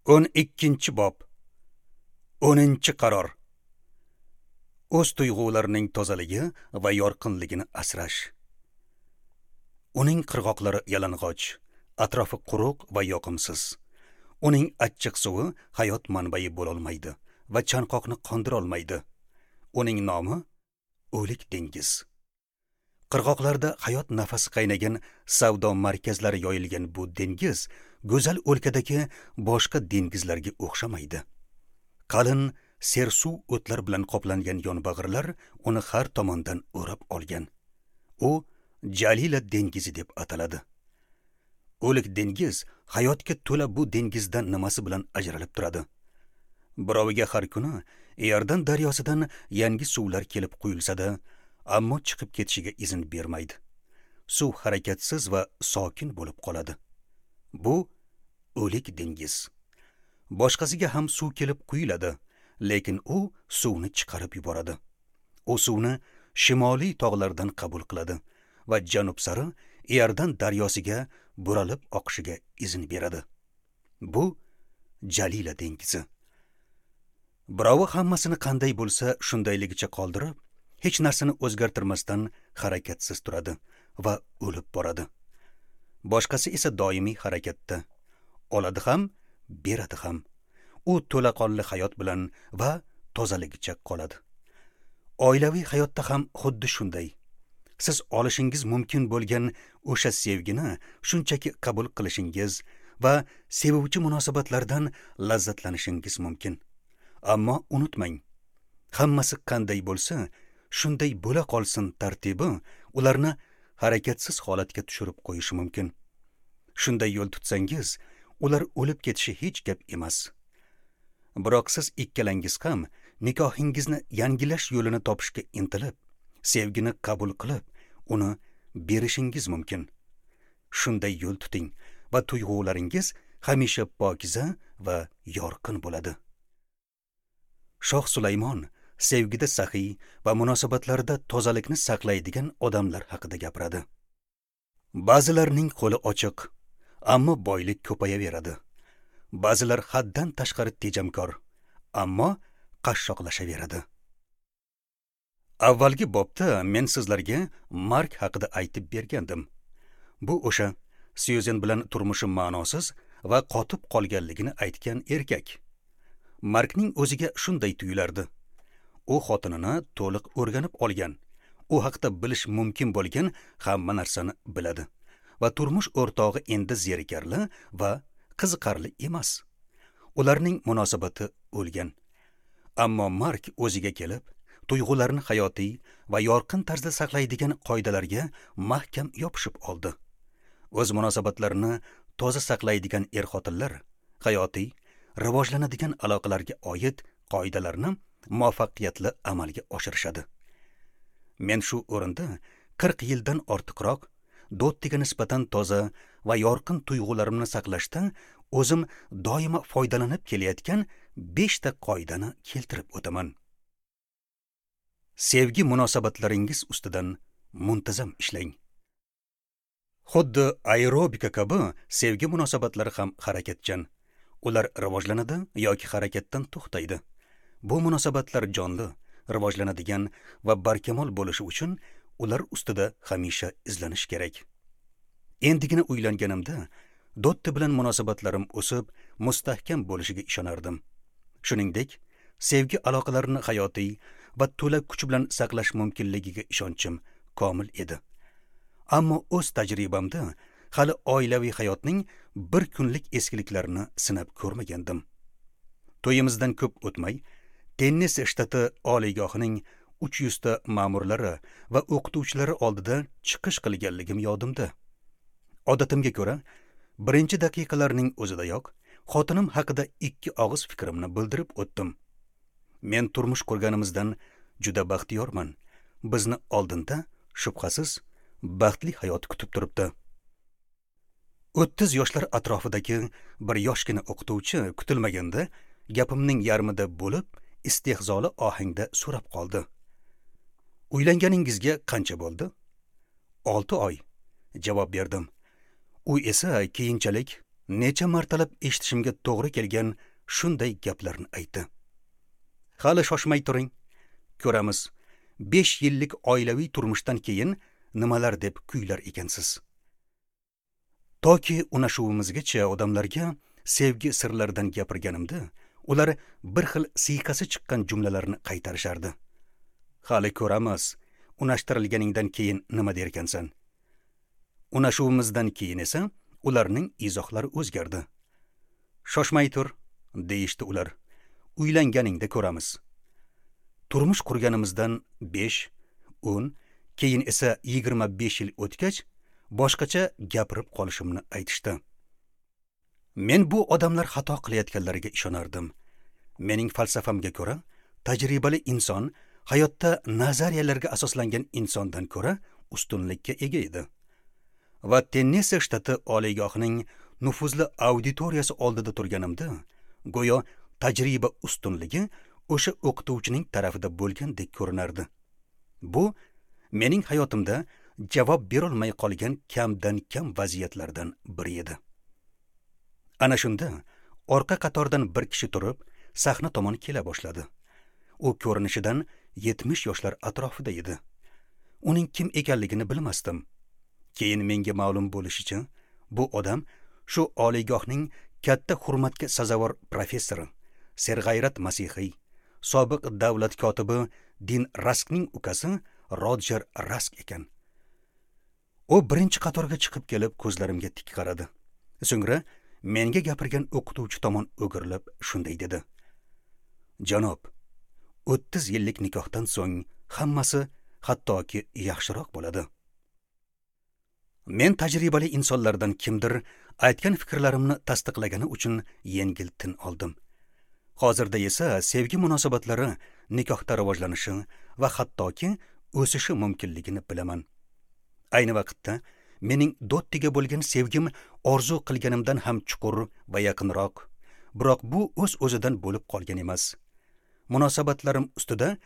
12-bob. 10-qaror. O'z tuyg'ularining tozaligi va yorqinligini asrash. Uning qirg'oqlari yalang'och, atrofi quruq va yoqimsiz. Uning achchiq suvi hayot manbai bo'lolmaydi va chanqoqni qondira olmaydi. Uning nomi O'lik dengiz. Qirg'oqlarda hayot nafasi qaynagan savdo markazlari yoyilgan bu dengiz go'zal o'lkadagi boshqa dengizlarga o'xshamaydi. Qalin sersuv o'tlar bilan qoplangan yonbag'irlar uni har tomondan o'rab olgan. U Jalila dengizi deb ataladi. O'lik dengiz hayotga to'la bu dengizdan nimasi bilan ajralib turadi? Biroviga har kuni Iordan daryosidan yangi suvlar kelib quyilsa-da, ammo chiqib ketishiga izn bermaydi. Suv harakatsiz va sokin bo'lib qoladi. Bu o'lik dengiz. Boshqasiga ham suv kelib quyiladi, lekin u suvni chiqarib yuboradi. U suvni shimoliy tog'lardan qabul qiladi va janub sari Iordan daryosiga buralib oqishiga izn beradi. Bu Jalila dengizi. Birovi hammasini qanday bo'lsa shundayligicha qoldirib, hech narsani o'zgartirmasdan harakatsiz turadi va o'lib boradi. Boshqasi esa doimiy harakatda. Oladi ham, beradi ham. U to'laqonli hayot bilan va tozaligicha qoladi. Oilaviy hayotda ham xuddi shunday. Siz olishingiz mumkin bo'lgan o'sha sevgini shunchaki qabul qilishingiz va sevuvchi munosabatlardan lazzatlanishingiz mumkin. Ammo unutmang, hammasi qanday bo'lsa, shunday bo'la qolsin tartibi ularni harakatsiz holatga tushirib qo'yishi mumkin. Shunday yo'l tutsangiz, ular o'lib ketishi hech gap emas. Biroq siz ikkalangiz ham nikohingizni yangilash yo'lini topishga intilib, sevgini qabul qilib, uni berishingiz mumkin. Shunday yo'l tuting va tuyg'ularingiz hamisha pokiza va yorqin bo'ladi. Shoh Sulaymon sevgida saxiy va munosabatlarda tozalikni saqlaydigan odamlar haqida gapiradi. Ba'zilarning qo'li ochiq, ammo boylik ko'payaveradi. Ba'zilar haddan tashqari tejamkor, ammo qashshoqlashaveradi. Avvalgi bobda men sizlarga Mark haqida aytib bergandim. Bu o'sha Syuzen bilan turmushi ma'nosiz va qotib qolganligini aytgan erkak. Markning o'ziga shunday tuyulardi. U xotinini to'liq o'rganib olgan, u haqda bilish mumkin bo'lgan hamma narsani biladi va turmush o'rtog'i endi zerikarli va qiziqarli emas. Ularning munosabati o'lgan. Ammo Mark o'ziga kelib, tuyg'ularni hayotiy va yorqin tarzda saqlaydigan qoidalarga mahkam yopishib oldi. O'z munosabatlarini toza saqlaydigan er-xotinlar hayotiy, rivojlanadigan aloqalarga oid qoidalarni muvaffaqiyatli amalga oshirishadi. Men shu o'rinda 40 yildan ortiqroq Dottiga nisbatan toza va yorqin tuyg'ularimni saqlashda o'zim doimo foydalanib kelayotgan 5 ta qoidani keltirib o'taman. Sevgi munosabatlaringiz ustidan muntazam ishlang. Xuddi aerobika kabi sevgi munosabatlari ham harakatchan. Ular rivojlanadi yoki harakatdan to'xtaydi. Bu munosabatlar jonli, rivojlanadigan va barkamol bo'lishi uchun ular ustida hamisha izlanish kerak. Endigina uylanganimda Dotti bilan munosabatlarim o'sib, mustahkam bo'lishiga ishonardim. Shuningdek, sevgi aloqalarini hayotiy va to'la kuch bilan saqlash mumkinligiga ishonchim komil edi. Ammo o'z tajribamda hali oilaviy hayotning bir kunlik eskiliklarini sinab ko'rmagandim. To'yimizdan ko'p o'tmay, Tennessee shtati oliygohining 300 ta ma'murlari va o'qituvchilari oldida chiqish qilganligim yodimda. Odatimga ko'ra, birinchi daqiqalarning o'zidayoq xotinim haqida 2 og'iz fikrimni bildirib o'tdim. Men turmush qurganimizdan juda baxtiyorman. Bizni oldinda shubhasiz baxtli hayot kutib turibdi. 30 yoshlar atrofidagi bir yoshgina o'qituvchi kutilmaganda gapimning yarmida bo'lib, istehzoli ohangda so'rab qoldi. Uylanganingizga qancha bo'ldi? 6 oy, javob berdim. U esa keyinchalik Necha martalab eshitishimga to'g'ri kelgan shunday gaplarni aytdi. Hali shoshmay turing, ko'ramiz. 5 yillik oilaviy turmushdan keyin nimalar deb kuylar ekansiz. Toki unashuvimizgacha odamlarga sevgi sirlaridan gapirganimda, ular bir xil siyqasi chiqqan jumlalarni qaytarishardi. Hali ko'ramiz, unashtirilganingdan keyin nima derkansan. Unashuvimizdan keyin esa ularning izohlari o'zgardi. Shoshmay tur, deyishdi ular. Uylanganingda ko'ramiz. Turmush qurganimizdan 5, 10, keyin esa 25 yil o'tgach, boshqacha gapirib qolishimni aytishdi. Men bu odamlar xato qilayotganlariga ishonardim. Mening falsafamga ko'ra, tajribali inson hayotda nazariyalarga asoslangan insondan ko'ra ustunlikka ega edi. Va Tennessee shtati oliygohining nufuzli auditoriyasi oldida turganimda, go'yo tajriba ustunligi o'sha o'qituvchining tarafida bo'lgandek ko'rinardi. Bu mening hayotimda javob berolmay qolgan kamdan kam vaziyatlardan biri edi. Ana shunda orqa qatordan bir kishi turib, sahna tomon kela boshladi. U ko'rinishidan 70 yoshlar atrofida edi. Uning kim ekanligini bilmasdim. Keyin menga ma'lum bo'lishicha, bu odam shu oliygohning katta hurmatga sazovor professori, serg'ayrat masihiy, sobiq davlat kotibi Din Raskning ukasi Roger Rask ekan. U birinchi qatorga chiqib kelib ko'zlarimga tik qaradi. So'ngra menga gapirgan o'qituvchi tomon o'girilib shunday dedi: "Janob, 30 yillik nikohdan so'ng hammasi hattoki yaxshiroq bo'ladi." Men tajribali insonlardan kimdir aytgan fikrlarimni tasdiqlagani uchun yengil tin oldim. Hozirda esa sevgi munosabatlari nikohda rivojlanishi va hattoki o'sishi mumkinligini bilaman. Ayni vaqtda mening Dottiga bo'lgan sevgim orzu qilganimdan ham chuqur va yaqinroq. Biroq bu o'z-o'zidan bo'lib qolgan emas. Munosabatlarim ustida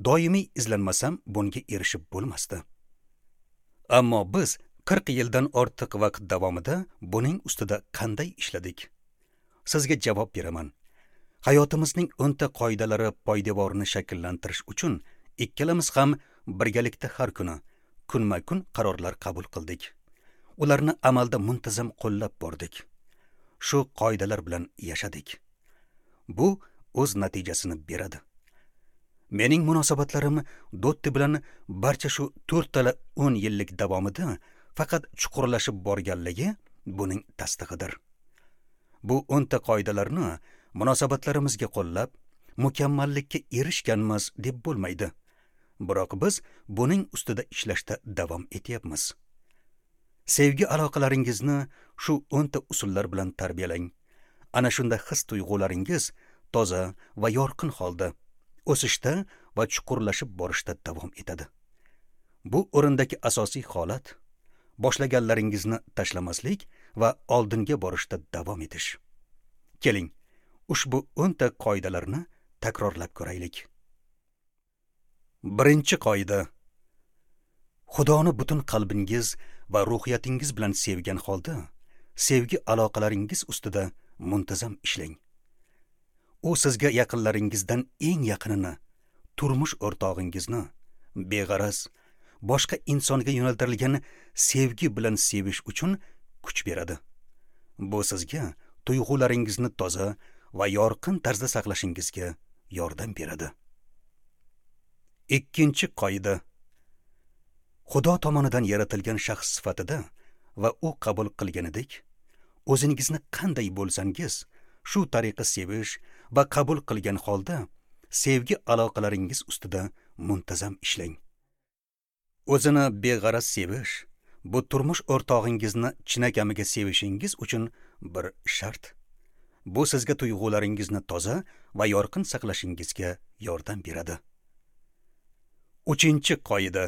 doimiy izlanmasam bunga erishib bo'lmasdi. Ammo biz 40 yildan ortiq vaqt davomida buning ustida qanday ishladik? Sizga javob beraman. Hayotimizning 10 ta qoidalari poydevorini shakllantirish uchun ikkalamiz ham birgalikda har kuni, kunma-kun qarorlar qabul qildik. Ularni amalda muntazam qo'llab bordik. Shu qoidalar bilan yashadik. Bu o'z natijasini beradi. Mening munosabatlarim Dotti bilan barcha shu 4 10 yillik davomida faqat chuqurlashib borganligi buning tasdig'idir. Bu 10 ta qoidalarni munosabatlarimizga qo'llab, mukammallikka erishganmiz deb bo'lmaydi. Biroq biz buning ustida ishlashda davom etyapmiz. Sevgi aloqalaringizni shu 10 ta usullar bilan tarbiyalang. Ana shunda his tuyg'ularingiz toza va yorqin holda o'sishda va chuqurlashib borishda davom etadi. Bu o'rindagi asosiy holat boshlaganlaringizni tashlamaslik va oldinga borishda davom etish. Keling, ushbu 10 ta qoidalarni takrorlab ko'raylik. Birinchi qoida: Xudoni butun qalbingiz va ruhiyatingiz bilan sevgan holda sevgi aloqalaringiz ustida muntazam ishlang. U sizga yaqinlaringizdan eng yaqinini, turmush o'rtog'ingizni beg'araz, boshqa insonga yo'naltirilgan sevgi bilan sevish uchun kuch beradi. Bu sizga tuyg'ularingizni toza va yorqin tarzda saqlashingizga yordam beradi. Ikkinchi qoida: Xudo tomonidan yaratilgan shaxs sifatida va u qabul qilganidek, o'zingizni qanday bo'lsangiz, shu tariqa sevish va qabul qilgan holda sevgi aloqalaringiz ustida muntazam ishlang. O'zini beg'araz sevish bu turmush o'rtog'ingizni chinakamiga sevishingiz uchun bir shart. Bu sizga tuyg'ularingizni toza va yorqin saqlashingizga yordam beradi. Uchinchi qoida: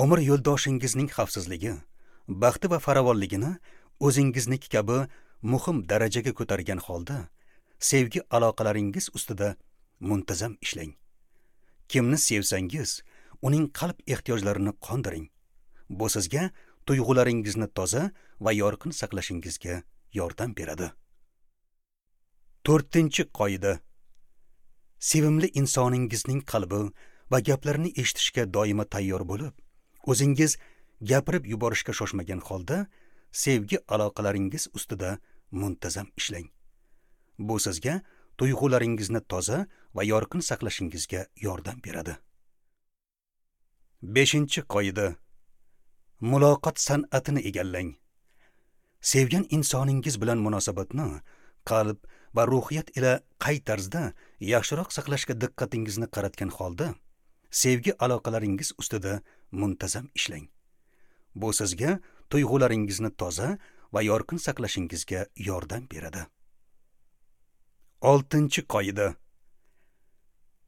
umr yo'ldoshingizning xavfsizligi, baxti va farovonligini o'zingizniki kabi muhim darajaga ko'targan holda sevgi aloqalaringiz ustida muntazam ishlang. Kimni sevsangiz, uning qalb ehtiyojlarini qondiring. Bu sizga tuyg'ularingizni toza va yorqin saqlashingizga yordam beradi. 4-qoida. Sevimli insoningizning qalbi va gaplarini eshitishga doimo tayyor bo'lib, o'zingiz gapirib yuborishga shoshmagan holda sevgi aloqalaringiz ustida muntazam ishlang. Bu sizga tuyg'ularingizni toza va yorqin saqlashingizga yordam beradi. 5-qoida. Muloqot san'atini egallang. Sevgan insoningiz bilan munosabatni qalb va ruhiyat ila qay tarzda yaxshiroq saqlashga diqqatingizni qaratgan holda sevgi aloqalaringiz ustida muntazam ishlang. Bu sizga tuyg'ularingizni toza va yorqin saqlashingizga yordam beradi. 6-qoida.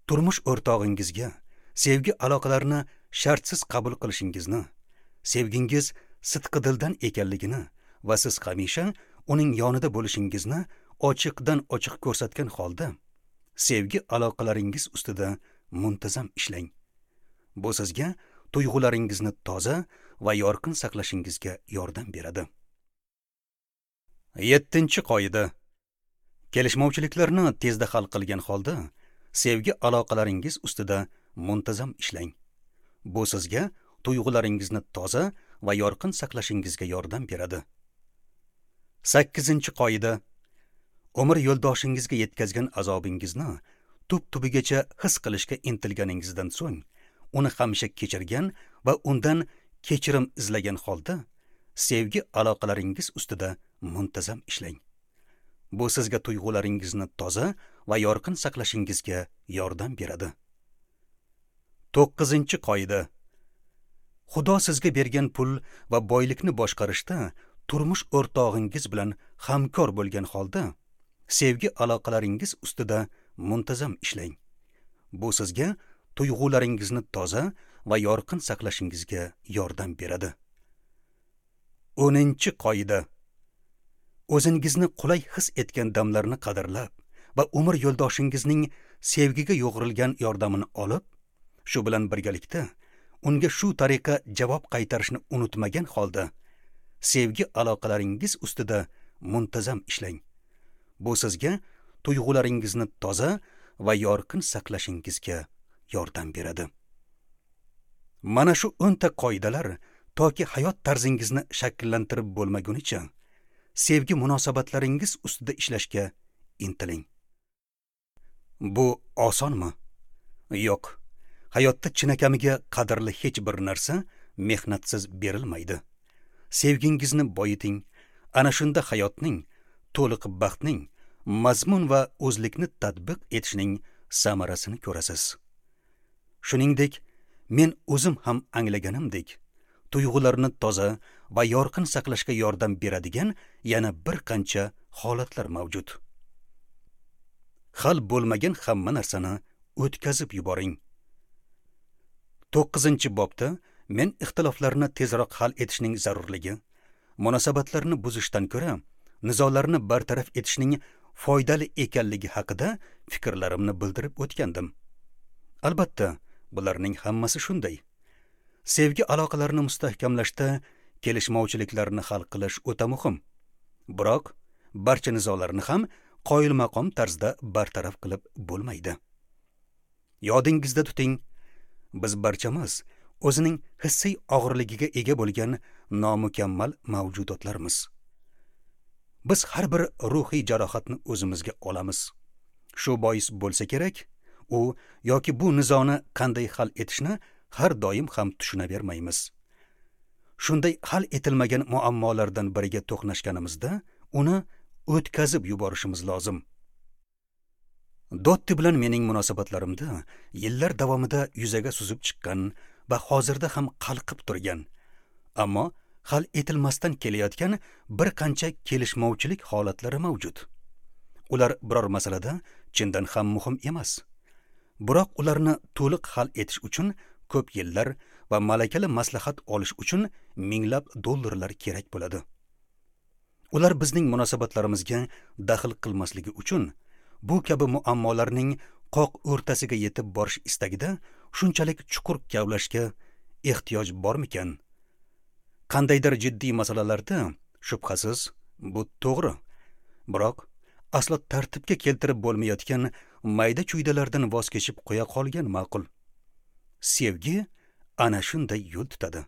Turmush o'rtog'ingizga sevgi aloqalarini shartsiz qabul qilishingizni, sevgingiz sidqi dildan ekanligini va siz hamisha uning yonida bo'lishingizni ochiqdan ochiq ko'rsatgan holda sevgi aloqalaringiz ustida muntazam ishlang. Bu sizga tuyg'ularingizni toza va yorqin saqlashingizga yordam beradi. 7-qoida. Kelishmovchiliklarni tezda hal qilgan holda sevgi aloqalaringiz ustida muntazam ishlang. Bu sizga tuyg'ularingizni toza va yorqin saqlashingizga yordam beradi. 8-qoida. Umr yo'ldoshingizga yetkazgan azobingizni tub-tubigacha his qilishga intilganingizdan so'ng, uni hamisha kechirgan va undan kechirim izlagan holda sevgi aloqalaringiz ustida muntazam ishlang. Bu sizga tuyg'ularingizni toza va yorqin saqlashingizga yordam beradi. 9-qoida. Xudo sizga bergan pul va boylikni boshqarishda turmush o'rtog'ingiz bilan hamkor bo'lgan holda sevgi aloqalaringiz ustida muntazam ishlang. Bu sizga tuyg'ularingizni toza va yorqin saqlashingizga yordam beradi. 10-qoida. O'zingizni qulay his etgan damlarni qadrlab va umr yo'ldoshingizning sevgiga yo'g'rilgan yordamini olib, shu bilan birgalikda unga shu tariqa javob qaytarishni unutmagan holda sevgi aloqalaringiz ustida muntazam ishlang. Bu sizga tuyg'ularingizni toza va yorqin saqlashingizga yordam beradi. Mana shu 10 ta qoidalar toki hayot tarzingizni shakllantirib bo'lmagunicha sevgi munosabatlaringiz ustida ishlashga intiling. Bu osonmi? Yo'q. Hayotda chinakamiga qadrli hech bir narsa mehnatsiz berilmaydi. Sevgingizni boyiting. Ana shunda hayotning, to'liq baxtning, mazmun va o'zlikni tatbiq etishning samarasini ko'rasiz. Shuningdek, men o'zim ham anglaganimdek, tuyg'ularni toza va yorqin saqlashga yordam beradigan yana bir qancha holatlar mavjud. Hal bo'lmagan hamma narsani o'tkazib yuboring. 9-bobda men ixtiloflarni tezroq hal etishning zarurligi, munosabatlarni buzishdan ko'ra nizolarni bartaraf etishning foydali ekanligi haqida fikrlarimni bildirib o'tgandim. Albatta, bularning hammasi shunday. Sevgi aloqalarini mustahkamlashda kelishmovchiliklarni hal qilish o'ta muhim. Biroq barcha nizolarni ham qoyilmaqom tarzda bartaraf qilib bo'lmaydi. Yodingizda tuting, biz barchamiz o'zining hissiy og'irligiga ega bo'lgan nomukammal mavjudotlarmiz. Biz har bir ruhiy jarohatni o'zimizga olamiz. Shu bois bo'lsa kerak, u yoki bu nizoni qanday hal etishni har doim ham tushunavermaymiz. Shunday hal etilmagan muammolardan biriga to'qnashganimizda uni o'tkazib yuborishimiz lozim. Dotti bilan mening munosabatlarimda yillar davomida yuzaga suzib chiqqan va hozirda ham qalqib turgan, ammo hal etilmasdan kelayotgan bir qancha kelishmovchilik holatlari mavjud. Ular biror masalada chindan ham muhim emas. Biroq ularni to'liq hal etish uchun ko'p yillar va malakali maslahat olish uchun minglab dollarlar kerak bo'ladi. Ular bizning munosabatlarimizga daxl qilmasligi uchun bu kabi muammolarning qoq o'rtasiga yetib borish istagida shunchalik chuqur kavlashga ehtiyoj bormikan? Qandaydir jiddiy masalalarda shubhasiz Bu to'g'ri. Biroq aslo tartibga keltirib bo'lmayotgan mayda-chuydalardan voz kechib qo'ya qolgan ma'qul. Sevgi ana shunday yo'l tutadi.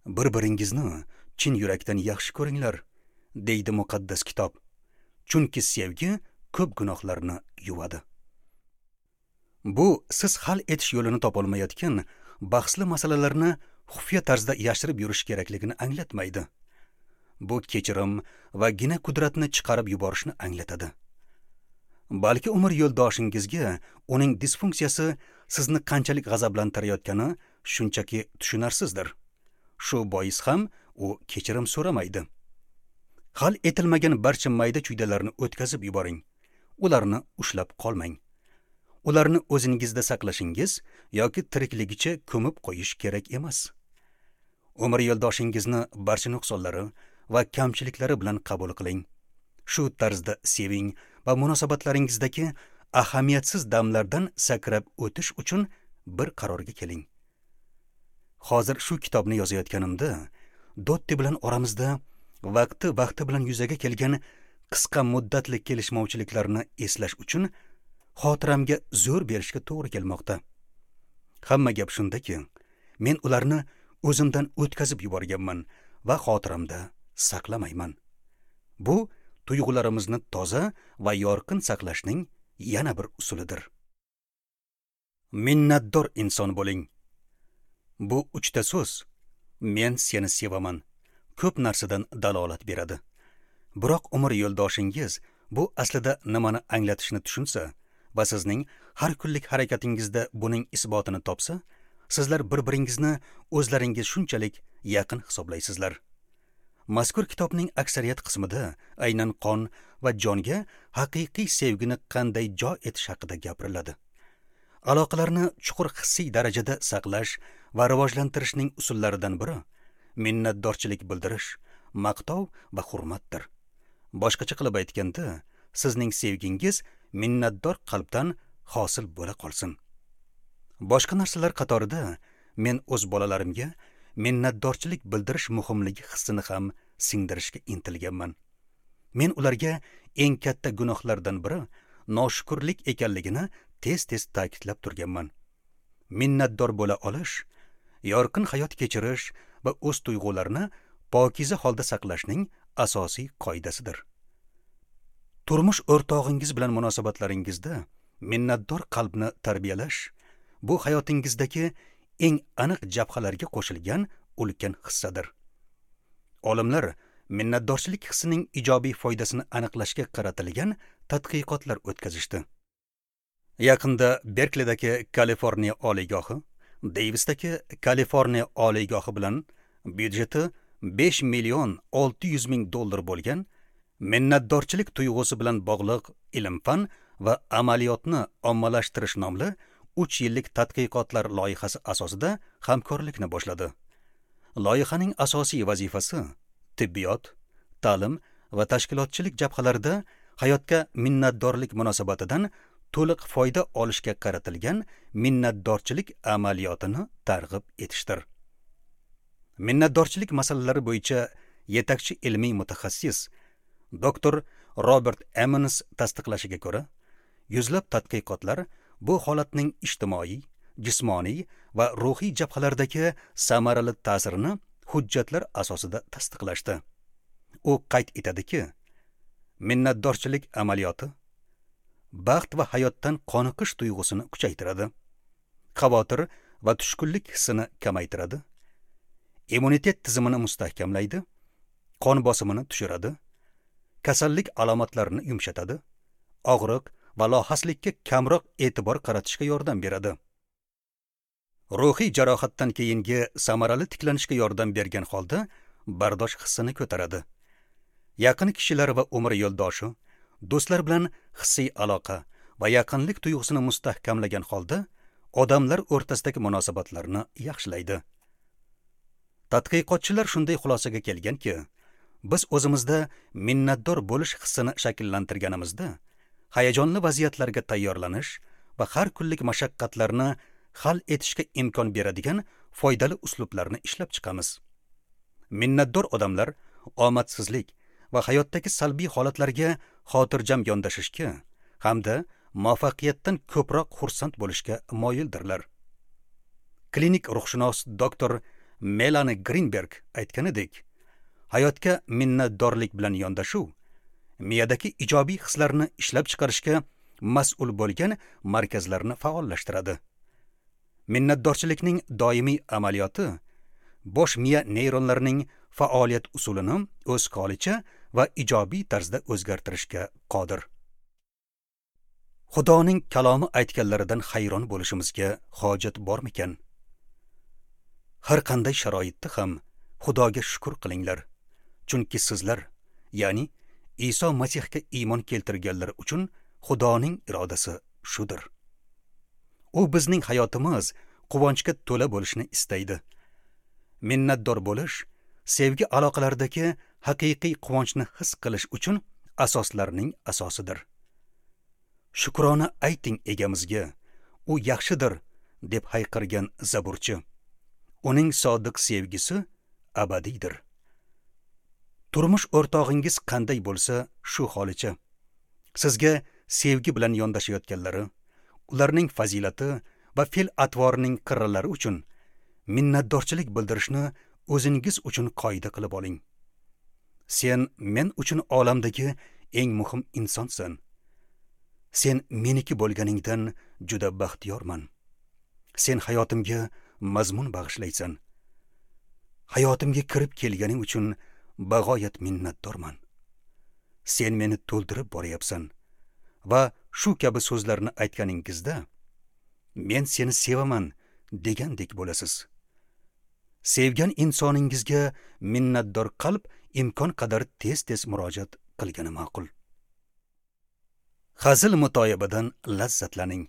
Bir-biringizni chin yurakdan yaxshi ko'ringlar, deydi muqaddas kitob. Chunki sevgi ko'p gunohlarni yuvadi. Bu siz hal etish yo'lini topolmayotgan bahsli masalalarni xufiya tarzda yashirib yurish kerakligini anglatmaydi. Bu kechirim va gina qudratni chiqarib yuborishni anglatadi. Balki umr yo'ldoshingizga uning disfunksiyasi sizni qanchalik g'azablantirayotgani shunchaki tushunarsizdir. Shu bois ham u kechirim so'ramaydi. Hal etilmagan barcha mayda-chuydalarni o'tkazib yuboring. Ularni ushlab qolmang. Ularni o'zingizda saqlashingiz yoki tirikligicha ko'mib qo'yish kerak emas. Umr yo'ldoshingizni barcha nuqsonlari va kamchiliklari bilan qabul qiling. Shu tarzda seving va munosabatlaringizdagi ahamiyatsiz damlardan sakrab o'tish uchun bir qarorga keling. Hozir shu kitobni yozayotganimda Dotti bilan oramizda vaqti bilan yuzaga kelgan qisqa muddatli kelishmovchiliklarni eslash uchun xotiramga zo'r berishga to'g'ri kelmoqda. Hamma gap shundaki, men ularni o'zimdan o'tkazib yuborganman va xotiramda saqlamayman. Bu tuyg'ularimizni toza va yorqin saqlashning yana bir usulidir. Minnatdor inson bo'ling. Bu uchta so'z men seni sevaman ko'p narsadan dalolat beradi. Biroq umr yo'ldoshingiz bu aslida nimani anglatishini tushunsa va sizning har kunlik harakatingizda buning isbotini topsa, sizlar bir-biringizni o'zlaringiz shunchalik yaqin hisoblaysizlar. Mazkur kitobning aksariyat qismida aynan qon va jonga haqiqiy sevgini qanday jo etish haqida gapiriladi. Aloqalarni chuqur hissiy darajada saqlash va rivojlantirishning usullaridan biri minnatdorchilik bildirish, maqtov va hurmatdir. Boshqacha qilib aytganda, sizning sevgingiz minnatdor qalbdan hosil bo'la qolsin. Boshqa narsalar qatorida men o'z bolalarimga minnatdorchilik bildirish muhimligi hissini ham singdirishga intilganman. Men ularga eng katta gunohlardan biri noshukurlik ekanligini tez-tez ta'kidlab turganman. Minnatdor bo'la olish, yorqin hayot kechirish va o'z tuyg'ularini pokiza holda saqlashning asosiy qoidasidir. Turmush o'rtog'ingiz bilan munosabatlaringizda minnatdor qalbni tarbiyalash bu hayotingizdagi eng aniq jabhalarga qo'shilgan ulkan hissadir. Olimlar minnatdorchilik hissining ijobiy foydasini aniqlashga qaratilgan tadqiqotlar o'tkazishdi. Yaqinda Berklidagi Kaliforniya oliygohi, Davisdagi Kaliforniya oliygohi bilan byudjeti 5 million 600 ming dollar bo'lgan minnatdorchilik tuyg'usi bilan bog'liq ilm-fan va amaliyotni ommalashtirish nomli 3 yillik tadqiqotlar loyihasi asosida hamkorlikni boshladi. Loyihaning asosiy vazifasi tibbiyot, ta'lim va tashkilotchilik jabhalarida hayotga minnatdorlik munosabatidan to'liq foyda olishga qaratilgan minnatdorchilik amaliyotini targ'ib etishdir. Minnatdorchilik masalalari bo'yicha yetakchi ilmiy mutaxassis doktor Robert Emmons tasdiqlashiga ko'ra, yuzlab tadqiqotlar bu holatning ijtimoiy, jismoniy va ruhiy jabhalardagi samarali ta'sirini hujjatlar asosida tasdiqlashdi. U qayd etadiki, minnatdorchilik amaliyoti baxt va hayotdan qoniqish tuyg'usini kuchaytiradi, xavotir va tushkunlik hissini kamaytiradi, immunitet tizimini mustahkamlaydi, qon bosimini tushiradi, kasallik alomatlarini yumshatadi, og'riq va lohaslikka kamroq e'tibor qaratishga yordam beradi. Ruhiy jarohatdan keyingi samarali tiklanishga yordam bergan holda bardosh hissini ko'taradi. Yaqin kishilar va umr yo'ldoshi, do'stlar bilan hissiy aloqa va yaqinlik tuyg'usini mustahkamlagan holda odamlar o'rtasidagi munosabatlarni yaxshilaydi. Tadqiqotchilar shunday xulosaga kelganki, biz o'zimizda minnatdor bo'lish hissini shakllantirganimizda hayajonli vaziyatlarga tayyorlanish va har kunlik mashaqqatlarni hal etishga imkon beradigan foydali uslublarni ishlab chiqamiz. Minnatdor odamlar omadsizlik va hayotdagi salbiy holatlarga xotirjam yondashishga hamda muvaffaqiyatdan ko'proq xursand bo'lishga moyildirlar. Klinik ruhshunos doktor Melani Grinberg aytganidek, hayotga minnatdorlik bilan yondashuv miyadagi ijobiy hislarni ishlab chiqarishga mas'ul bo'lgan markazlarni faollashtiradi. Minnatdorchilikning doimiy amaliyoti bosh miya neyronlarining faoliyat usulini o'z holicha va ijobiy tarzda o'zgartirishga qodir. Xudoning kalomi aytganlaridan hayron bo'lishimizga hojat bormikan? Har qanday sharoitda ham Xudoga shukr qilinglar, chunki sizlar, ya'ni Iso Masihga iymon keltirganlar uchun Xudoning irodasi shudir. U bizning hayotimiz quvonchga to'la bo'lishini istaydi. Minnatdor bo'lish sevgi aloqalaridagi haqiqiy quvonchni his qilish uchun asoslarning asosidir. Shukrona ayting egamizga, u yaxshidir, deb hayqirgan zaburchi. Uning sodiq sevgisi abadiydir. Turmush o'rtog'ingiz qanday bo'lsa, shu holicha. Sizga sevgi bilan yondashayotganlari, ularning fazilati va fe'l-atvorining qirralari uchun minnatdorchilik bildirishni o'zingiz uchun qoida qilib oling. Sen men uchun olamdagi eng muhim insonsan. Sen meniki bo'lganingdan juda baxtiyorman. Sen hayotimga mazmun bag'ishlaysan. Hayotimga kirib kelganing uchun bag'oyat minnatdorman. Sen meni to'ldirib boryapsan. Va shu kabi so'zlarni aytganingizda men seni sevaman degandek bo'lasiz. Sevgan insoningizga minnatdor qalb imkon qadar tez-tez murojaat qilgani ma'qul. Hazil mutoyibadan lazzatlaning.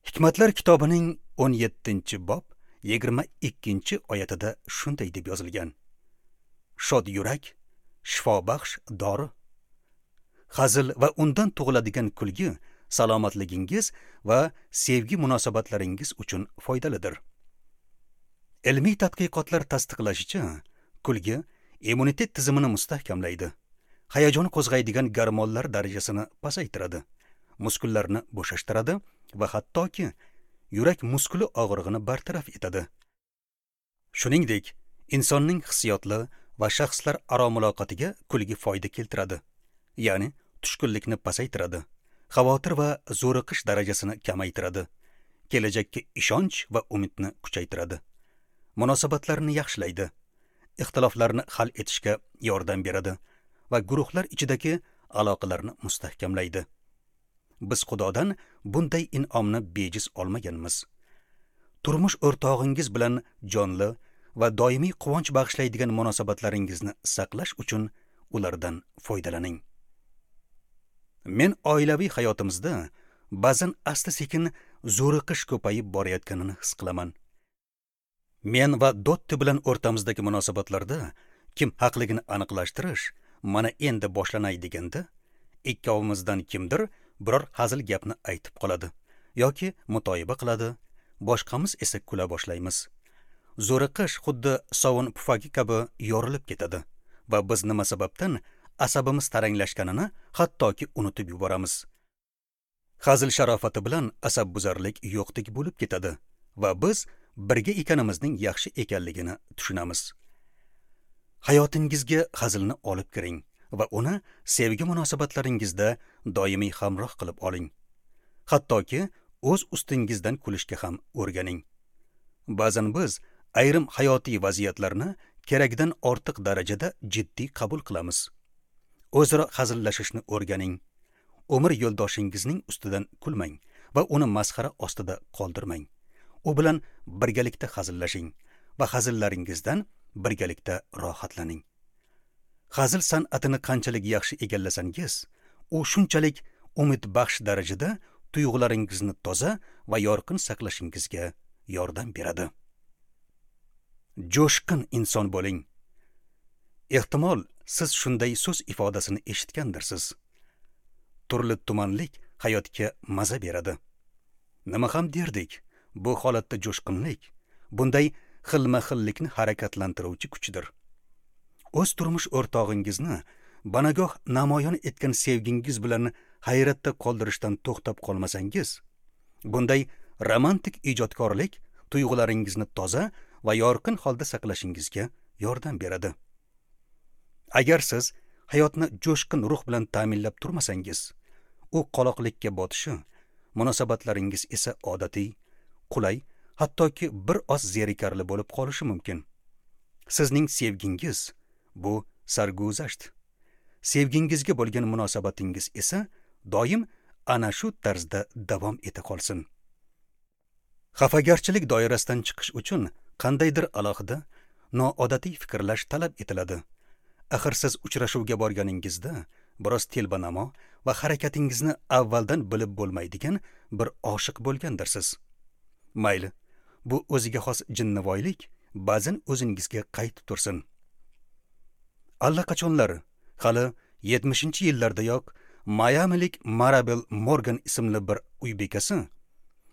Hikmatlar kitobining 17-bob 22-oyatida shunday deb yozilgan: Shod yurak shifobaxsh dori. Hazil va undan tug'iladigan kulgi salomatligingiz va sevgi munosabatlaringiz uchun foydalidir. Ilmiy tadqiqotlar tasdiqlashicha, kulgi immunitet tizimini mustahkamlaydi, hayajon qo'zg'aydigan gormonlar darajasini pasaytiradi, muskullarni bo'shashtiradi va hattoki yurak muskuli og'rig'ini bartaraf etadi. Shuningdek, insonning hissiyotli va shaxslar aro muloqotiga kulgi foyda keltiradi, ya'ni tushkunlikni pasaytiradi, xavotir va zo'riqish darajasini kamaytiradi, kelajakka ishonch va umidni kuchaytiradi, munosabatlarni yaxshilaydi, ixtiloflarni hal etishga yordam beradi va guruhlar ichidagi aloqalarni mustahkamlaydi. Biz Xudodan bunday in'omni bejiz olmaganmiz. Turmush o'rtog'ingiz bilan jonli va doimiy quvonch bag'ishlaydigan munosabatlaringizni saqlash uchun ulardan foydalaning. Men oilaviy hayotimizda ba'zan asta-sekin zo'riqish ko'payib borayotganini his qilaman. Men va Dotti bilan o'rtamizdagi munosabatlarda kim haqligini aniqlashtirish mana endi boshlanay deganda, ikkovimizdan kimdir biror hazil gapni aytib qoladi yoki mutoyiba qiladi, boshqamiz esa kula boshlaymiz. Zo'riqish xuddi sovun pufagi kabi yorilib ketadi va biz nima sababdan asabimiz taranglashganini hattoki unutib yuboramiz. Hazil sharofati bilan asabbuzarlik yo'qdek bo'lib ketadi va biz birga ekanimizning yaxshi ekanligini tushunamiz. Hayotingizga hazilni olib kiring va uni sevgi munosabatlaringizda doimiy hamroh qilib oling. Hattoki o'z ustingizdan kulishga ham o'rganing. Ba'zan biz ayrim hayotiy vaziyatlarni keragidan ortiq darajada jiddiy qabul qilamiz. O'zaro hazillashishni o'rganing. Umr yo'ldoshingizning ustidan kulmang va uni masxara ostida qoldirmang. U bilan birgalikda hazillashing va hazillaringizdan birgalikda rohatlaning. Hazil san'atini qanchalik yaxshi egallasangiz, u shunchalik umidbaxsh darajada tuyg'ularingizni toza va yorqin saqlashingizga yordam beradi. Jo'shqin inson bo'ling. Ehtimol siz shunday so'z ifodasini eshitgandirsiz. Turli tumanlik hayotga maza beradi. Nima ham derdik, bu holatda jo'shqinlik bunday xilma-xillikni harakatlantiruvchi kuchdir. O'z turmush o'rtog'ingizni banagoh namoyon etgan sevgingiz bilan hayratda qoldirishdan to'xtab qolmasangiz, bunday romantik ijodkorlik tuyg'ularingizni toza va yorqin holda saqlashingizga yordam beradi. Agar siz hayotni jo'shqin ruh bilan ta'minlab turmasangiz, u qoloqlikka botishi, munosabatlaringiz esa odatiy, qulay, hattoki bir oz zerikarli bo'lib qolishi mumkin. Sizning sevgingiz bu sarguzasht. Sevgingizga bo'lgan munosabatingiz esa doim ana shu tarzda davom eta qolsin. Xafagarchilik doirasidan chiqish uchun qandaydir alohida, noodatiy fikrlash talab etiladi. Axir siz uchrashuvga borganingizda biroz telbanamo va harakatingizni avvaldan bilib bo'lmaydigan bir oshiq bo'lgandirsiz. Mayli, bu o'ziga xos jinnivoylik ba'zan o'zingizga qaytib tursin. Allaqachonlar, hali 70-yillardayoq Mayamilik Marabel Morgan ismli bir uy bekasi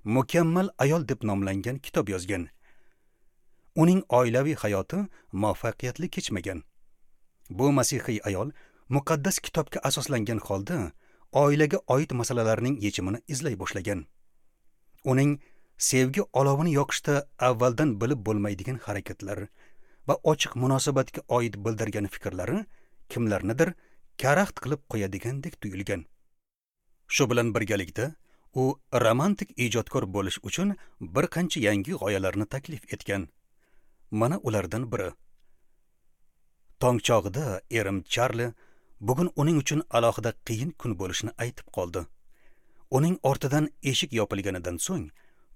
Mukammal ayol deb nomlangan kitob yozgan. Uning oilaviy hayoti muvaffaqiyatli kechmagan. Bu masihiy ayol muqaddas kitobga asoslangan holda oilaga oid masalalarning yechimini izlay boshlagan. Uning sevgi olovini yoqishda avvaldan bilib bo'lmaydigan harakatlar va ochiq munosabatga oid bildirgan fikrlari kimlarnidir karaxt qilib qo'yadigandek tuyulgan. Shu bilan birgalikda u romantik ijodkor bo'lish uchun bir qancha yangi g'oyalarni taklif etgan. Mana ulardan biri. Tong chog'ida erim Charli bugun uning uchun alohida qiyin kun bo'lishini aytib qoldi. Uning ortidan eshik yopilganidan so'ng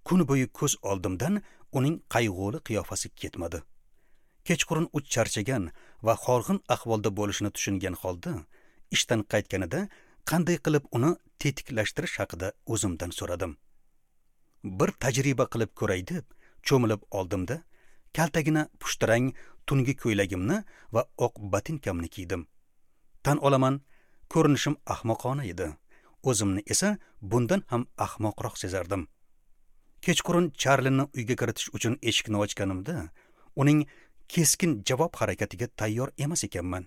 kun bo'yi ko'z oldimdan uning qayg'uli qiyofasi ketmadi. Kechqurun u charchagan va horg'in ahvolda bo'lishini tushungan holda ishdan qaytganida qanday qilib uni tetiklashtirish haqida o'zimdan so'radim. Bir tajriba qilib ko'ray deb cho'milib oldimda, kaltagina pushtirang tungi ko'ylagimni va oq botinkamni kiydim. Tan olaman, ko'rinishim ahmoqona edi. O'zimni esa bundan ham ahmoqroq sezardim. Kechqurun Charlini uyga kiritish uchun eshikni ochganimda, uning keskin javob harakatiga tayyor emas ekanman.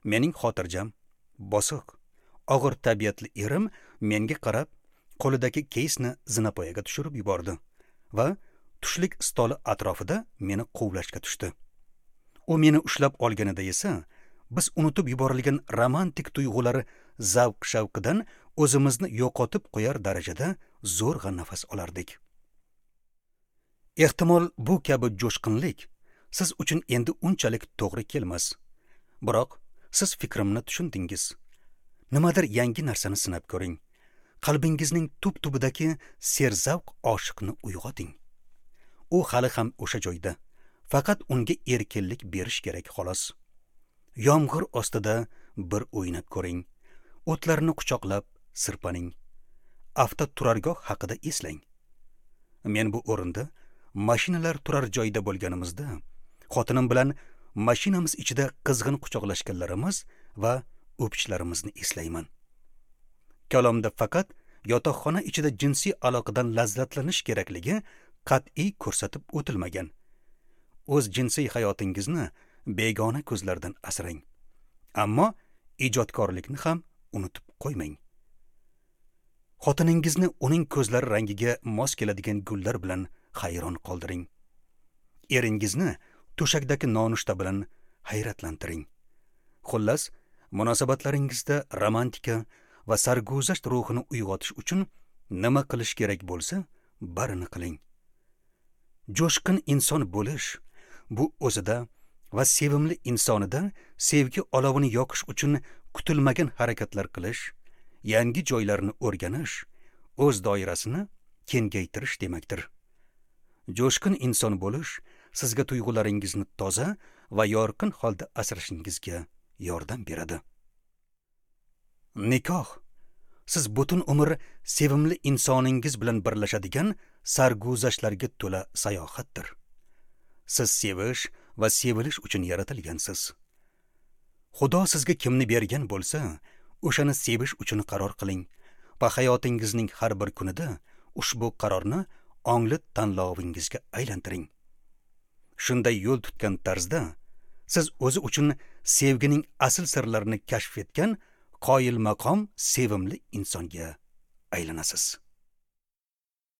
Mening xotirjam, bosiq, og'ir tabiatli erim menga qarab, qo'lidagi keysni zinapoyaga tushirib yubordi va tushlik stoli atrofida meni quvlashga tushdi. U meni ushlab olganida esa biz unutib yuborilgan romantik tuyg'ular zavq-shavqidan o'zimizni yo'qotib qo'yar darajada zo'rg'a nafas olardik. Ehtimol bu kabi jo'shqinlik siz uchun endi unchalik to'g'ri kelmas. Biroq siz fikrimni tushundingiz. Nimadir yangi narsani sinab ko'ring. Qalbingizning tub-tubidagi serzavq oshiqni uyg'oting. U hali ham o'sha joyda. Faqat unga erkinlik berish kerak xolos. Yomg'ir ostida bir o'ynab ko'ring. O'tlarni quchoqlab sirpaning. Avtoturargoh haqida eslang. Men bu o'rinda mashinalar turar joyda bo'lganimizda xotinim bilan mashinamiz ichida qizg'in quchoqlashganlarimiz va o'pishlarimizni eslayman. Kalomda faqat yotoqxona ichida jinsiy aloqadan lazzatlanish kerakligi qat'iy ko'rsatib o'tilmagan. O'z jinsiy hayotingizni begona ko'zlardan asrang. Ammo ijodkorlikni ham unutib qo'ymang. Xotiningizni uning ko'zlari rangiga mos keladigan gullar bilan hayron qoldiring. Eringizni to'shakdagi nonushta bilan hayratlantiring. Xullas, munosabatlaringizda romantika va sarguzasht ruhini uyg'otish uchun nima qilish kerak bo'lsa, barini qiling. Jo'shqin inson bo'lish bu o'zida va sevimli insonida sevgi olovini yoqish uchun kutilmagan harakatlar qilish, yangi joylarni o'rganish, o'z doirasini kengaytirish demakdir. Jo'shqin inson bo'lish sizga tuyg'ularingizni toza va yorqin holda asrashingizga yordam beradi. Nikoh siz butun umr sevimli insoningiz bilan birlashadigan sarguzashtlarga to'la sayohatdir. Siz sevish va sevilish uchun yaratilgansiz. Xudo sizga kimni bergan bo'lsa, o'shani sevish uchun qaror qiling va hayotingizning har bir kunida ushbu qarorni ongli tanlovingizga aylantiring. Shunday yo'l tutgan tarzda Siz o'zi uchun sevgining asl sirlarini kashf etgan qoyilmaqom sevimli insonga aylanasiz.